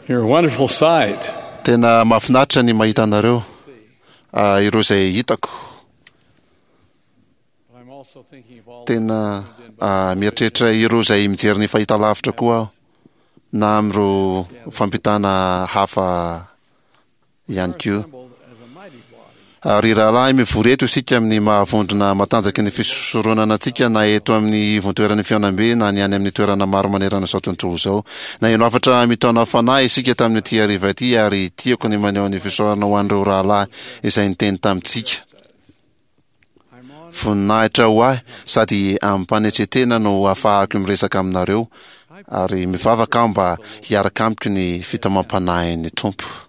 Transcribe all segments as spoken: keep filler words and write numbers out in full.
You're a wonderful sight. Tena mahafinaritra ny mahita anareo, ah, ireo izay hitako. But I'm also thinking of all Tena ah, mieritreritra ireo izay mijery ny fahitalavitra koa aho, na amin'ireo fampitana hafa ihany koa. assembled as a mighty body. Ary rahalahy, mivory eto isika amin'ny mahavondrona matanjaky ny fisoronana antsika, na eto amin'ny ivontoeran'ny fihaonambe na ny any amin'ny toerana maro manerana izao tontolo izao. Naheno hafatra mitaona fanahy isika tamin'ity hariva ity, ary tiako ny maneho ny fisaorana ho an'ireo rahalahy izay niteny tamintsika. I'm honored Voninahitra ho ahy sady amim-panetren-tena no ahafahako miresaka aminareo, ary mivavaka aho mba hiaraka amiko ny fitaomam-panahin'ny Tompo.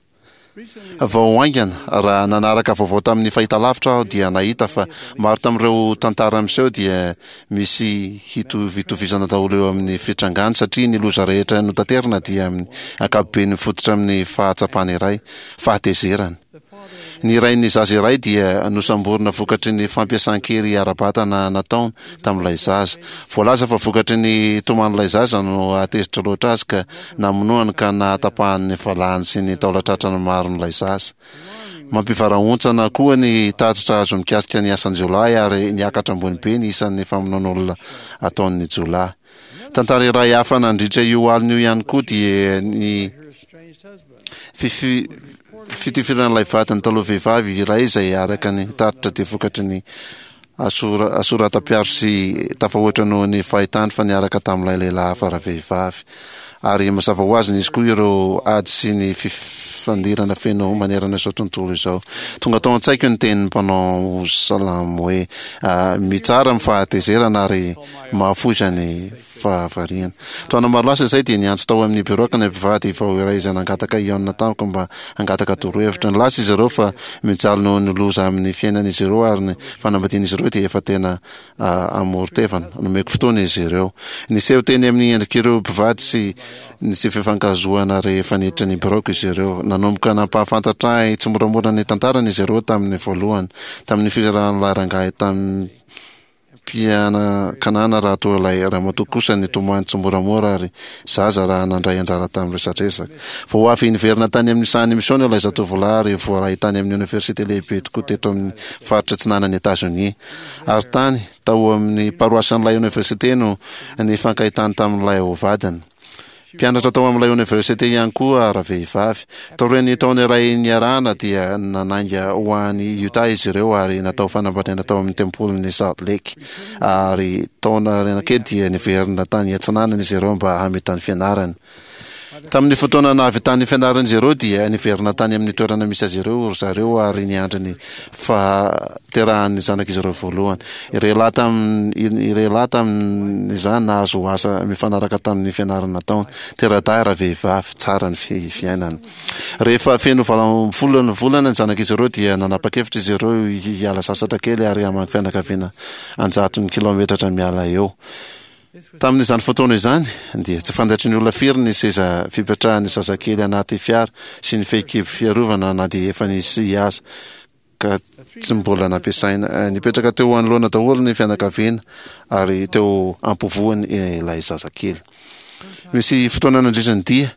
recently Vao haingana, raha nanaraka vaovao tamin'ny fahitalavitra aho, dia nahita fa maro tamin'ireo tantara miseho dia misy hitovitovizana daholo eo amin'ny fitrangany, satria ny loza rehetra notaterina dia amin'ny ankapobeny mifototra amin'ny fahatsapana iray, fahatezerana. the father Ny rain'ny zaza iray dia nosamborina vokatry ny fampiasan-kery ara-batana nataony tamin'ilay zaza. Voalaza fa vokatry ny toman'ilay zaza no ahatezitra loatra azy ka namonoany ka nahatapahany ny valahany sy ny taolan-tratrany maron'ilay zaza. Mampivarahontsana koa ny tatitra azo mikasika ny asan-jiolahy, ary niakatra ambony be ny isan'ny famonoan'olona ataon'ny jiolahy. Tantara iray hafa nandritra io alina io ihany koa dia ny her estranged husband. fifi- fitifiran'ilay vadiny taloha vehivavy iray, izay araka ny tatitra dia vokatry ny asora- asoratam-piaro sy tafahoatra noho ny fahitany fa niaraka tamin'ilay lehilahy hafa ravehivavy. Ary mazava ho azy, nisy koa ireo ady sy ny fifandirana feno manerana izao tontolo izao. Tonga tao an-tsaiko ny tenin'ny mpanao salamo hoe ah, mitsara amin'ny fahatezerana ary mahafoiza ny fahavariana. Taona maro lasa izay dia niantso tao amin'ny biraoko ny mpivady vao iray izay nangataka hihaona tamiko mba hangataka torohevitra. Nilaza izy ireo fa mijaly noho ny loza amin'ny fiainan'izy ireo, ary ny fanambadian'izy ireo dia efa tena ah, amoron-tevana. Nomeko fotoana izy ireo. Niseho teny amin'ny endrik'ireo mpivady sy ny tsy fifankahazoana rehefa niditra ny biraoko izy ireo. Nanomboka nampahafantatra ahy tsy moramora ny tantarany izy ireo tamin'ny voalohany, tamin'ny fizaran'ilay rangahy tamin'ny mpianakanana, raha toa ilay ramatoa kosa nitomany tsy moramora ary zaza raha nandray anjara tamin'ny resadresaka. Vao avy niverina tany amin'ny sahan'ny misiona ilay zatovolahy, ary voaray tany amin'ny oniversite lehibe tokoa teto amin'ny faritra atsinanan'i Etazonia. Ary tany, tao amin'ny paroasan'ilay oniversite, no nifankahitany tamin'ilay ho vadiny. Mpianatra tao amin'ilay oniversite ihany koa ravehivavy. Taorian'ny taona iray niarahana dia nanainga ho any Utah izy ireo ary natao fanambadiana tao amin'ny tempolin'ny Salt Lake. Ary taona aoriana kely dia niverina tany atsinanana izy ireo mba hamita ny fianarany. Tamin'ny fotoana nahavitany fianaran'izy ireo dia niverina tany amin'ny toerana misy azy ireo ry zareo ary niandry ny fahaterahan'ny zanak'izy ireo voalohany. Ireo lahy tamin- ireo lahy tamin'izany nahazo asa mifanaraka tamin'ny fianarana nataony. Tera-dahy ravehivavy, tsara ny fi- fiainana. Rehefa feno valo ambin'ny folo ny volana ny zanak'izy ireo dia nanapa-kevitra izy ireo hiala sasatra kely ary hamangy fianakaviana anjatony kilometratra miala eo. Tamin'izany fotoana izany dia tsy fantatry ny olona firy ny seza fipetrahan'ny zazakely anaty fiara sy ny fehikibo fiarovana, na dia efa nisy aza ka tsy mbola nampiasaina. Eh, Nipetraka teo anoloana daholo ny fianakaviana ary teo ampovoany ilay zazakely. Misy fotoana nandritra ny dia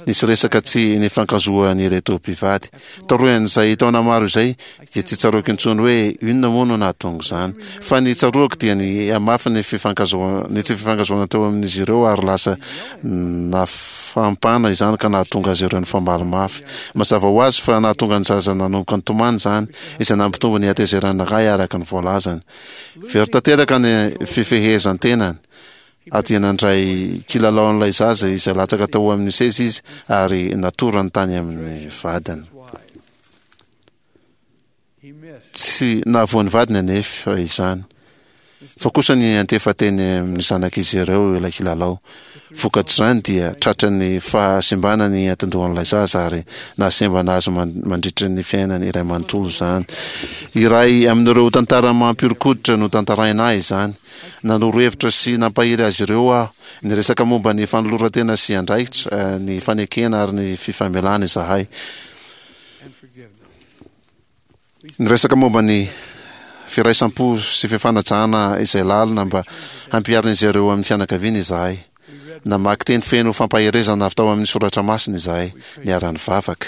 nisy resaka tsy nifankahazoan'ireto mpivady. Taorian'izay taona maro izay dia tsy tsaroako intsony hoe inona moa no nahatonga izany. Fa ny tsaroako dia ny hamafy ny fifankahazoana, ny tsy fifankahazoana teo amin'izy ireo, ary lasa nafampana izany ka nahatonga azy ireo nifamaly mafy. Mazava ho azy fa nahatonga ny zaza nanomboka nitomany izany, izay nampitombo ny hatezeran'ny ray araka ny voalazany. Very tanteraka ny fifehezan-tenany ary dia nandray kilalaon'ilay zaza izay latsaka tao amin'ny seza izy ary natorany tany amin'ny vadiny. He missed. Tsy nahavoan'ny vadiny anefa izany, fa kosa niantefa teny amin'ny zanak'izy ireo ilay kilalao. Vokatr'izany dia tratra ny fahasimbana ny atidohan'ilay zaza ary nahasembana azy man- mandritra ny fiainany iray manontolo izany. Iray amin'ireo tantara mampihoron-koditra no tantaraina ahy izany. Nanoro hevitra sy nampahery azy ireo aho. Niresaka momba ny fanoloran-tena sy andraikitra, eh, ny fanekena ary ny fifamelana izahay. And forgiveness. Niresaka momba ny firaisam-po sy fifanajana izay lalina mba hampiharin'izy ireo amin'ny fianakaviana izahay. Namaky teny feno fampaherezana avy tao amin'ny soratra masina izahay, niara-nivavaka.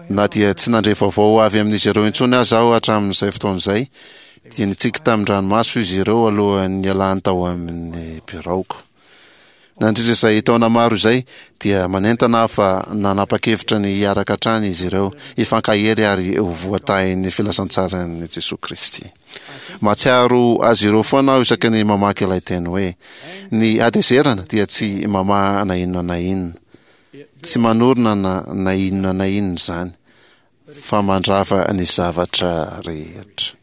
Na dia tsy nandre vaovao avy amin'izy ireo intsony aza aho hatramin'izay fotoana izay, dia nitsiky tamin-dranomaso izy ireo alohan'ny nialany tao amin'ny biraoko. Nandritra izay taona maro izay, dia manentana aho fa nanapa-kevitra ny hiaraka hatrany izy ireo, hifankahery ary ho voatahin'ny filazantsaran'i Jesoa Kristy. Mahatsiaro azy ireo foana aho isaky ny mamaky ilay teny hoe, ny hatezerana dia tsy mamaha na inona na inona, tsy manorina na na inona na inona izany, fa mandrava ny zavatra rehetra.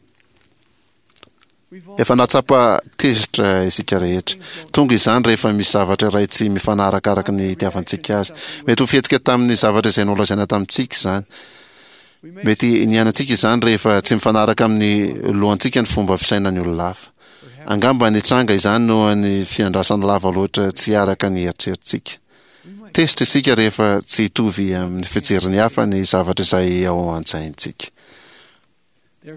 Efa nahatsapa tezitra isika rehetra. Tonga izany rehefa misy zavatra iray tsy mifanaraka araka ny itiavantsika azy. Mety ho fihetsika tamin'ny zavatra izay nolazaina tamintsika izany. Mety niainantsika izany rehefa tsy mifanaraka amin'ny lohantsika ny fomba fisainan'ny olona hafa. Angamba nitranga izany noho ny fiandrasana lava loatra tsy araka ny eritreritsika. Tezitra isika rehefa tsy hitovy amin'ny fijerin'ny hafa ny zavatra izay ao an-tsaintsika.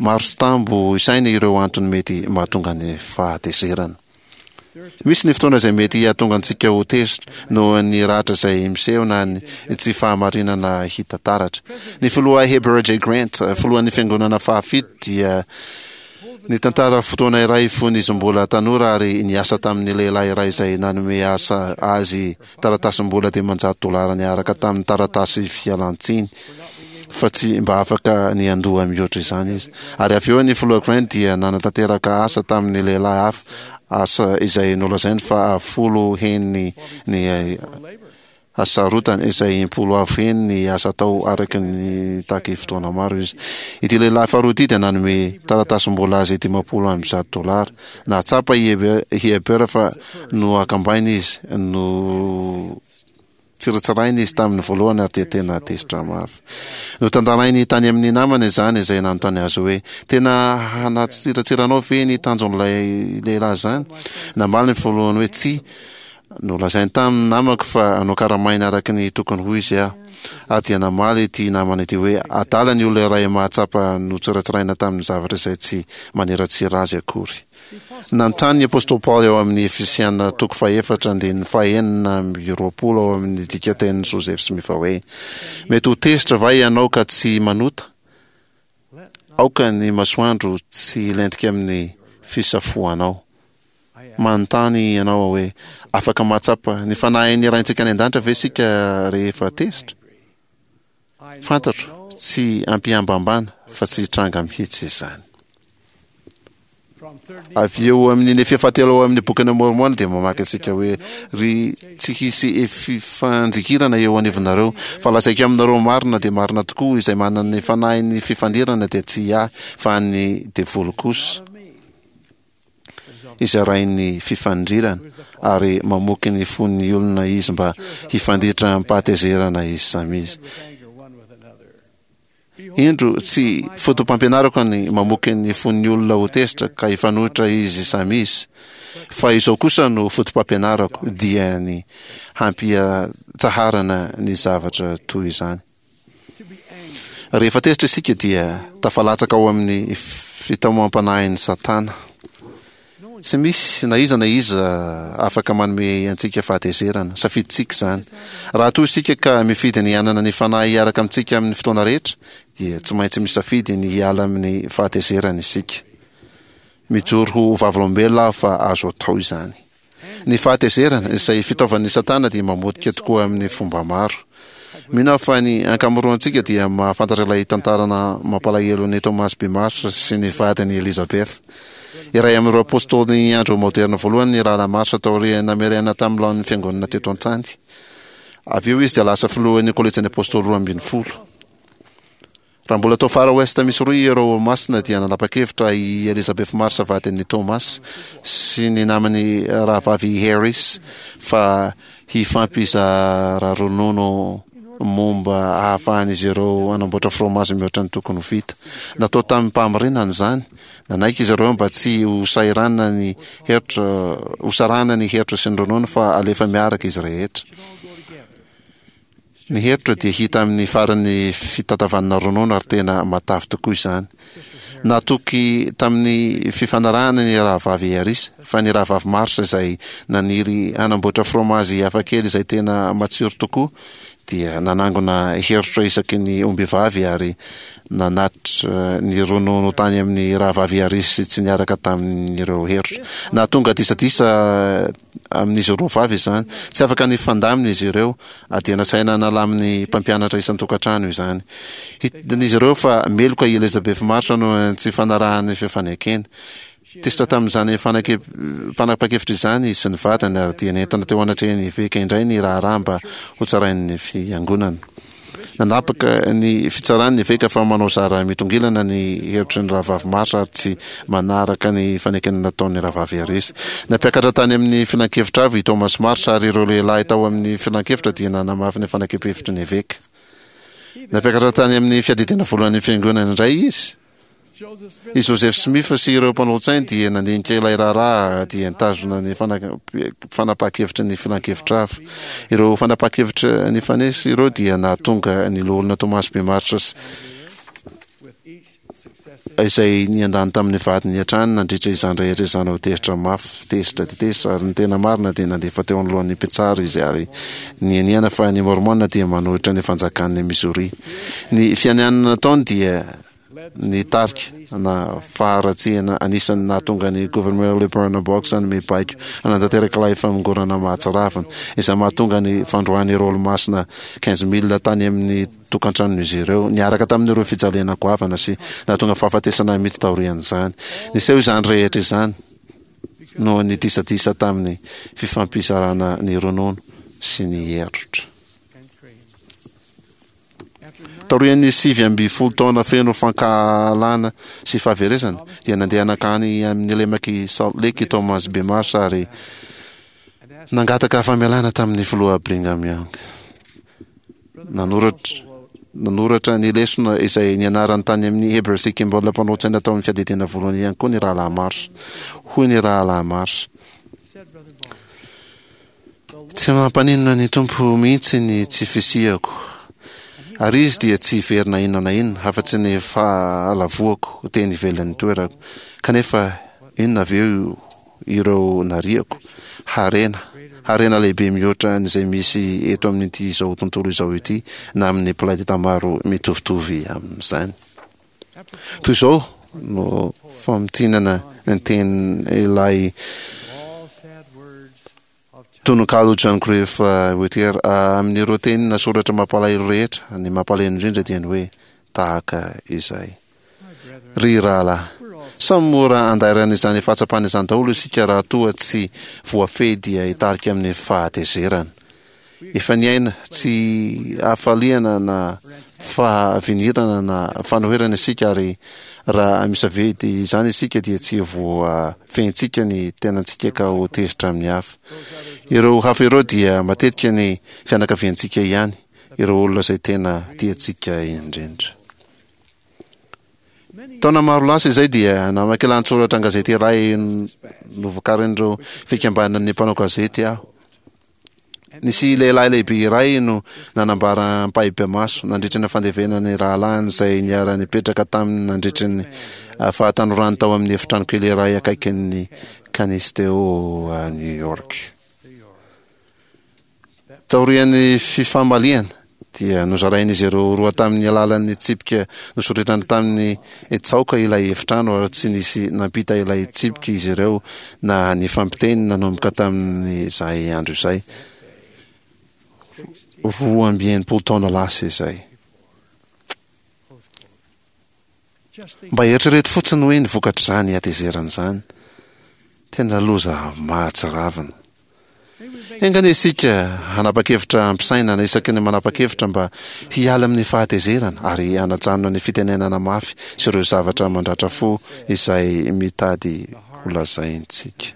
Maro tsy tambo isaina ireo antony mety mahatonga ny fahatezerana. Misy ny fotoana izay mety hahatonga antsika ho tezitra noho ny ratra izay miseho na ny tsy fahamarinana hita taratra. Ny filoha Heber J. Grant, filohan'ny fiangonana fahafito, dia nitantara fotoana iray fony izy mbola tanora ary niasa tamin'ny lehilahy iray izay nanome asa azy taratasim-bola dimanjato dolara niaraka tamin'ny taratasy fialan-tsiny, fa tsy mba afaka ny handoa mihoatra izany izy. Ary avy eo ny filoha Grant dia nanatanteraka asa tamin'ny lehilahy hafa, asa izay nolazainy fa folo heny ny hasarotany, izay impolo avo heny ny asa atao araka ny nitaky fotoana maro izy. Ity lehilahy faharoa ity dia nanome taratasim-bola azy dimampolo amby zato dolara. Nahatsapa i Heber fa nohakambaina izy, no tsiratsiraina izy tamin'ny voalohany ary dia tena tezitra mafy. Notantarainy tany amin'ny namany izany izay nanontany azy hoe, tena hanatsiratsiranao ve ny tanjon'ilay lehilahy izany? Namaly ny voalohany hoe, tsia. Nolazainy tamin'ny namako fa nokaramaina araka ny tokony ho izy aho. Ary dia namaly ity namana ity hoe, adala ny olona iray mahatsapa notsiratsiraina tamin'ny zavatra izay tsy maniratsira azy akory. Nanontany ny apostoly Paoly ao amin'ny Efesiana toko fahefatra andininy fahenina amby roapolo ao amin'ny dikantenin'i Joseph Smith hoe, Mety ho tezitra va ianao ka tsy manota? Aoka ny masoandro tsy hilentika amin'ny fisafoanao. Manontany ianao aho hoe, afaka mahatsapa ny fanahin'ny Raintsika any an-danitra ve isika rehefa tezitra? Fantatro, tsy ampihambambana, fa tsy hitranga mihitsy izany. Avy eo amin'ny Nefia fahatelo ao amin'ny Bokin'i Môrmôna dia mamaky antsika hoe, Ry tsy hisy fifanjikirana eo anivonareo, fa lazaiko aminareo marina dia marina tokoa, izay manana ny fanahin'ny fifandirana dia tsy ahy, fa an'ny devoly kosa. Izay rain'ny fifandirana, ary mamoky ny fon'ny olona izy mba hifanditra amim-pahatezerana izy samy izy. Indro, tsy foto-pampianarako ny mamoky ny fon'ny olona ho tezitra ka hifanohitra izy samy izy, fa izao kosa no foto-pampianarako, dia ny hampiatsaharana ny zavatra toy izany. Rehefa tezitra isika dia tafalatsaka ao amin'ny fitaomam-panahin'i Satana. Tsy misy na iza na iza afaka manome antsika fahatezerana. Safidintsika izany. Raha toa isika ka mifidy ny hanana ny Fanahy hiaraka amintsika amin'ny fotoana rehetra, dia tsy maintsy misafidy ny hiala amin'ny fahatezerana isika. Mijoro ho vavolombelona aho fa azo atao izany. Ny fahatezerana, izay fitaovan'i Satana, dia mamotika tokoa amin'ny fomba maro. Mino aho fa ny ankamaroantsika dia mahafantatra ilay tantarana mampalahelon'i Thomas B. Marsh sy ny vadiny Elizabeth. Iray amin'ireo apostolin'ny andro maoderina voalohany ny Rahalahy Marsh taorian'ny namerenana tamin'ny laoniny ny fiangonana teto an-tany. Avy eo izy dia lasa filohan'ny Kolejin'ny Apostoly Roa ambin'ny Folo. Raha mbola tao Far West Missouri ireo Olomasina dia nanapa-kevitra i Elizabeth Marsh vadin'i Thomas sy ny namany rahavavy Harris fa hifampizara ronono momba ahafahan'izy ireo hanamboatra fromazy mihoatra ny tokony ho vita. Natao tamim-pahamarinana izany. Nanaiky izy ireo mba tsy ho sahirana ny herotra, ho sarahana ny herotra sy ny ronono fa alefa miaraka izy rehetra. Ny herotra dia hita amin'ny faran'ny fitantavanana ronono ary tena matavy tokoa izany. Natoky tamin'ny fifanarahana ny Rahavavy Harris, fa ny Rahavavy Marsh izay naniry hanamboatra fromazy hafakely izay tena matsiro tokoa dia nanangona herotra isaky ny ombivavy ary nanatitra ny ronono tany amin'ny Rahavavy Harris tsy niaraka tamin'ireo herotra. Nahatonga disadisa amin'izy roa vavy izany. Tsy afaka nifandamina izy ireo ary dia nasaina nalamin'ny mpampianatra isan-tokantrano izany. Hitan'izy ireo fa meloka i Elizabeth Marsh noho ny tsy fanarahany fifanekena. Tezitra tamin'izany fanapahan-kevitra izany izy sy ny vadiny ary dia nentina teo anatrehan'ny eveka indray ny raharaha mba hotsarain'ny fiangonana. Nanapaka ny fitsarany ny eveka fa manao zara mitongilana ny hevitry ny Rahavavy Marsh ary tsy manaraka ny fanekena nataon'ny Rahavavy Harris. Nampiakatra tany amin'ny filankevitra avo i Thomas Marsh ary ireo lehilahy tao amin'ny filankevitra dia nanamafy ny fanakem-pihevitry ny eveka. Nampiakatra tany amin'ny fiadidiana voalohan'ny fiangonana indray izy. I Joseph Smith sy ireo mpanolo-tsainy dia nandinika ilay raharaha dia nitazona ny fanapahan-kevitry ny filankevitra hafa. Ireo fanapahan-kevitra nifanesy ireo dia nahatonga ny Loholona Thomas B. Marsh izay niandany tamin'ny vadiny hatrany nandritra izany rehetra izany ho tezitra mafy, tezitra dia tezitra, ary ny tena marina dia nandefa teo anoloan'ny mpitsara izy ary nianiana fa ny Môrmôna dia manohitra ny fanjakan'i Missouri. Ny fianianana nataony dia nitarika na faharatsiana anisan'ny nahatonga ny Governor Lilburn Boggs hanome baiko hanatanteraka ilay famongorana mahatsiravina, izay mahatonga ny fandroahan'ireo olomasina quinze mille tany amin'ny tokantranon'izy ireo, niaraka tamin'ireo fijaliana goavana sy nahatonga fahafatesana mihitsy taorian'izany. Niseho izany rehetra izany noho ny disadisa tamin'ny fifampizarana ny ronono sy ny herotra. Taorian'ny sivy ambin'ny folo taona feno fankahalana sy fahaverezana, dia nandeha nankany amin'ny lemak'i Salt Lake i Thomas B. Marsh ary nangataka famelana tamin'ny filoha Brigham Young. Nanoratra nanoratra ny lesona izay nianarany tany amin'ny Heber C. Kimball mpanolo-tsaina tao amin'ny fiadidiana voalohany ihany koa ny Rahalahy Marsh. Hoy ny Rahalahy Marsh: Tsy mampaninona ny Tompo mihitsy ny tsy fisiako, ary Izy dia tsy hiverina na inona na inona afa-tsy ny fahalavoako teny ivelan'ny toerako. Kanefa inona avy eo ireo nariako? Harena, harena lehibe mihoatra an'izay misy eto amin'ity izao tontolo izao ity na amin'ny planeta maro mitovitovy amin'izany. Toy izao no famintinana ny tenin'ilay tononkalo John Griff Whittier, Amin'ireo teny na soratra mampalahelo rehetra, ny mampalahelo indrindra dia ny hoe tahaka izay. Ry rahalahy, samy mora andairan'izany fahatsapana izany daholo isika raha toa tsy voafehy dia hitarika amin'ny fahatezerana. Efa niaina tsy hafaliana na fahavinirana na fanoherana isika ary raha misafidy izany isika dia tsy voafehintsika ny tenantsika ka ho tezitra amin'ny hafa. Ireo hafa ireo dia matetika ny fianakaviantsika ihany, ireo olona izay tena tiantsika indrindra. Taona maro lasa izay dia namaky lahatsoratra an-gazety iray novokarin'ireo fikambanan'ny mpanao gazety aho. Nisy lehilahy lehibe iray no nanambara ampahibemaso nandritra ny fandevenana ny rahalahiny izay niara-nipetraka taminy nandritra ny fahatanorany tao amin'ny efitrano kely iray akaikin'ny Canisteo, New York. Taorian'ny fifamaliana, dia nozarain'izy ireo roa tamin'ny alalan'ny tsipika nosoritana tamin'ny tsaoka ilay efitrano ary tsy nisy nampita ilay tsipika izy ireo na nifampiteny nanomboka tamin'izay andro izay, roa amby enimpolo taona lasa izay. Mba eritrereto fotsiny hoe ny vokatr'izany hatezerana izany. Tena loza mahatsiravina. Enga anie isika hanapa-kevitra am-pisainana isaky ny manapa-kevitra mba hiala amin'ny fahatezerana ary hanajanona ny fitenenana mafy sy ireo zavatra mandratra fo izay mitady holazaintsika.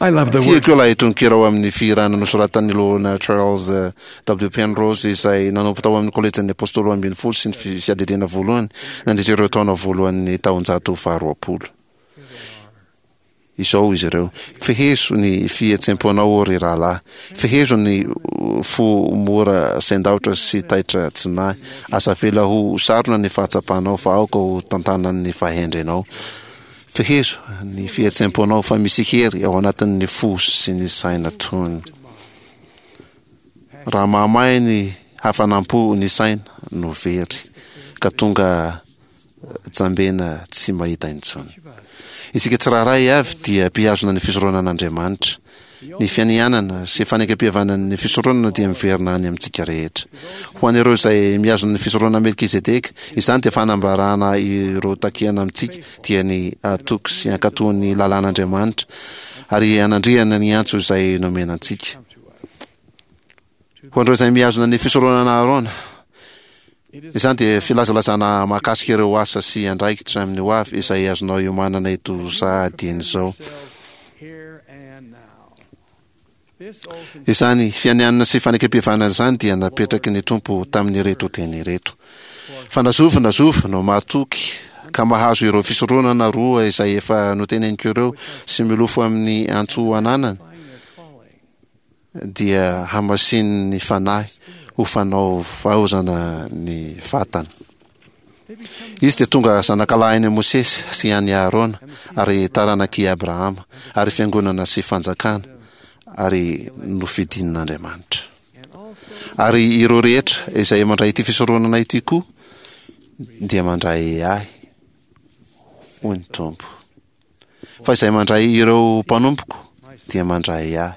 Tiako ilay tononkira ao amin'ny fihirana nosoratan'ny Loholona Charles W. Penrose izay nanompo tao amin'ny Kolejin'ny Apôstôly Roa Ambin'ny Folo sy ny Fiadidiana Voalohany nandritra ireo taona voalohan'ny taonjato faharoapolo. izao izy ireo: Fehezo ny fihetseham-ponao, ô ry rahalahy. Fehezo ny fo mora sendaotra sy taitra tsy nahy. Aza avela ho sarona ny fahatsapanao, fa aoka ho tantanan'ny fahendrenao. Fehezo ny fihetseham-ponao, fa misy hery ao anatin'ny fo sy ny saina tony. Raha mahamay ny hafanam-po ny saina no very, ka tonga jambena tsy mahita intsony. Isika tsirairay avy dia mpihazona ny fisoronan'Andriamanitra. Ny fianianana sy fanekempihavanan'ny fisoronana dia miverina any amintsika rehetra. Ho an'ireo izay mihazona ny fisoronana Melkizedeka, izany dia fanambarana ireo takiana amintsika, dia ny hatoky sy hankatò ny lalàn'Andriamanitra ary hanandriana ny antso izay nomena antsika. Ho an'ireo izay mihazona ny fisoronana Aharôna, izany dia filazalazana mahakasika ireo asa sy andraikitra amin'ny ho avy izay azonao iomanana eto sahady dieny izao. Izany fianianana sy fanekempihavanana izany dia napetraky ny Tompo tamin'ireto teny ireto: Fa na zovy na zovy no mahatoky ka mahazo ireo fisoronana roa izay efa noteneniko ireo sy milofo amin'ny antso ananany, dia hamasinin'ny Fanahy ho fanaovaozana ny vatana. Izy dia tonga zanakalahin'i Mosesy sy an'i Aharona ary taranak'i Abrahama ary fiangonana sy fanjakana ary nofidin'Andriamanitra. Ary ireo rehetra izay mandray ity fisoronana ity koa dia mandray ahy, hoy ny Tompo. Fa izay mandray ireo mpanompoko dia mandray ahy.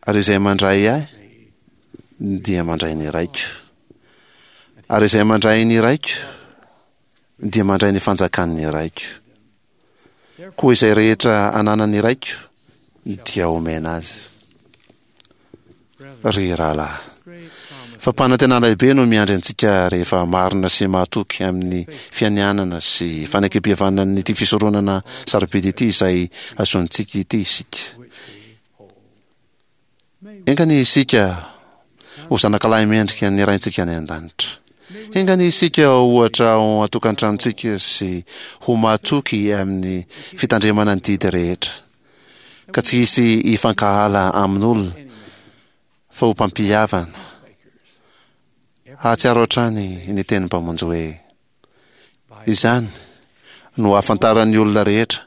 Ary izay mandray ahy dia mandray ny Raiko. Ary izay mandray ny Raiko dia mandray ny fanjakan'ny Raiko. Koa izay rehetra ananan'ny Raiko dia homena azy. Ry rahalahy, fampanantenana lehibe no miandry antsika rehefa marina sy mahatoky amin'ny fianianana sy fanekempihavanan'ity fisoronana sarobidy ity izay azontsika ity isika. Enga anie isika ho zanakalahy mendrika ny Raintsika any An-danitra. Enga anie isika ho ohatra ao an-tokantranontsika sy ho mahatoky amin'ny fitandremana ny didy rehetra, ka tsy hisy hifankahala amin'olona fa ho mpampihavana. Hahatsiaro hatrany ny tenin'ny Mpamonjy hoe, Izany no ahafantaran'ny olona rehetra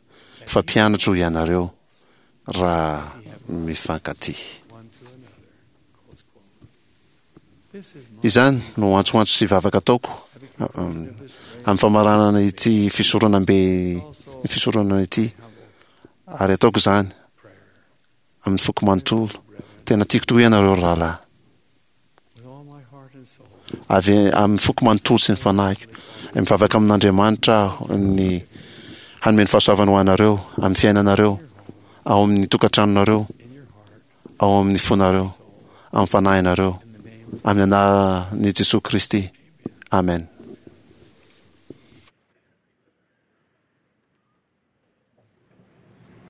fa mpianatro ianareo raha mifankatia. Izany no antsoantso sy vavaka ataoko amin'ny famaranana ity fisoronambe fisoronana ity, ary ataoko izany amin'ny foko manontolo. Tena tiako tokoa ianareo ry rahalahy. Avy amin'ny foko manontolo sy ny fanahiko. Mivavaka amin'Andriamanitra aho ny hanome ny fahasoavany ho anareo amin'ny fiainanareo, ao amin'ny tokantranonareo, ao amin'ny fonareo, amin'ny fanahinareo, amin'ny anaran'i Jesoa Kristy. Amen.